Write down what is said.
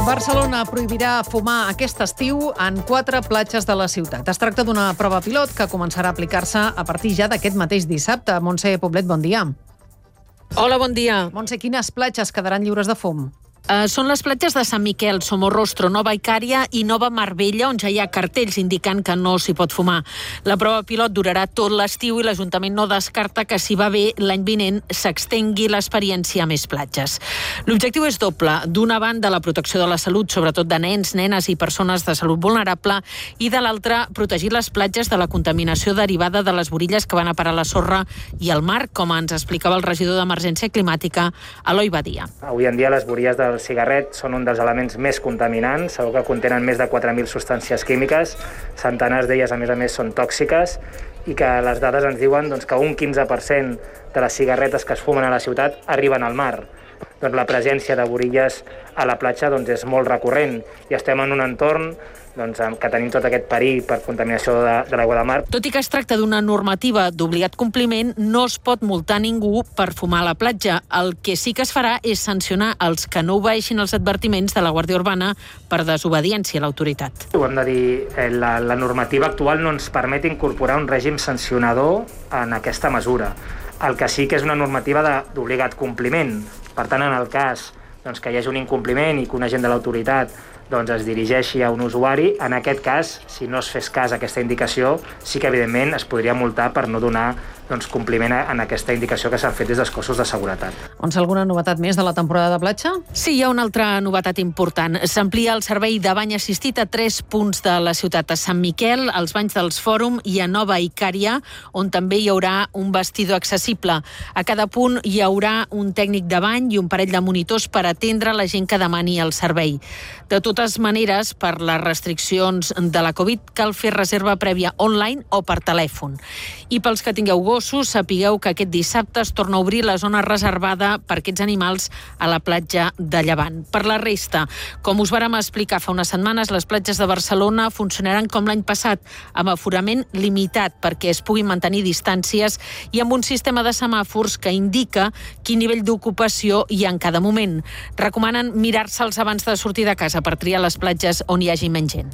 Barcelona prohibirà fumar aquest estiu en 4 platges de la ciutat. Es tracta d'una prova pilot que començarà a aplicar-se a partir ja d'aquest mateix dissabte. Montse Poblet, bon dia. Hola, bon dia. Montse, quines platges quedaran lliures de fum? Són les platges de Sant Miquel, Somorrostro, Nova Icària i Nova Marbella, on ja hi ha cartells indicant que no s'hi pot fumar. La prova pilot durarà tot l'estiu i l'Ajuntament no descarta que, si va bé, l'any vinent s'extengui l'experiència a més platges. L'objectiu és doble. D'una banda, la protecció de la salut, sobretot de nens, nenes i persones de salut vulnerable, i de l'altra, protegir les platges de la contaminació derivada de les borilles que van a parar a la sorra i al mar, com ens explicava el regidor d'Emergència Climàtica, Eloi Badia. Avui en dia les borilles del cigarret són un dels elements més contaminants, segur que contenen més de 4.000 substàncies químiques, centenars d'elles a més són tòxiques, i que les dades ens diuen que un 15% de les cigarretes que es fumen a la ciutat arriben al mar. Doncs la presència de borilles a la platja és molt recurrent i estem en un entorn que tenim tot aquest perill per contaminació de l'aigua de mar. Tot i que es tracta d'una normativa d'obligat compliment, no es pot multar ningú per fumar a la platja. El que sí que es farà és sancionar els que no obeeixin els advertiments de la Guàrdia Urbana per desobediència a l'autoritat. Ho hem de dir, la normativa actual no ens permet incorporar un règim sancionador en aquesta mesura. El que sí que és una normativa d'obligat compliment. Per tant, en el cas que hi hagi un incompliment i que un agent de l'autoritat es dirigeixi a un usuari, en aquest cas, si no es fes cas a aquesta indicació, sí que evidentment es podria multar per no donar compliment en aquesta indicació que s'han fet des dels cossos de seguretat. Alguna novetat més de la temporada de platja? Sí, hi ha una altra novetat important. S'amplia el servei de bany assistit a 3 punts de la ciutat, a Sant Miquel, als banys dels Fòrum i a Nova Icària, on també hi haurà un vestidor accessible. A cada punt hi haurà un tècnic de bany i un parell de monitors per atendre la gent que demani el servei. De totes maneres, per les restriccions de la Covid, cal fer reserva prèvia online o per telèfon. I pels que tingueu gossos, sapigueu que aquest dissabte es torna a obrir la zona reservada per aquests animals a la platja de Llevant. Per la resta, com us vàrem explicar fa unes setmanes, les platges de Barcelona funcionaran com l'any passat, amb aforament limitat perquè es puguin mantenir distàncies i amb un sistema de semàfors que indica quin nivell d'ocupació hi ha en cada moment. Recomanen mirar-se'ls abans de sortir de casa per triar les platges on hi hagi menys gent.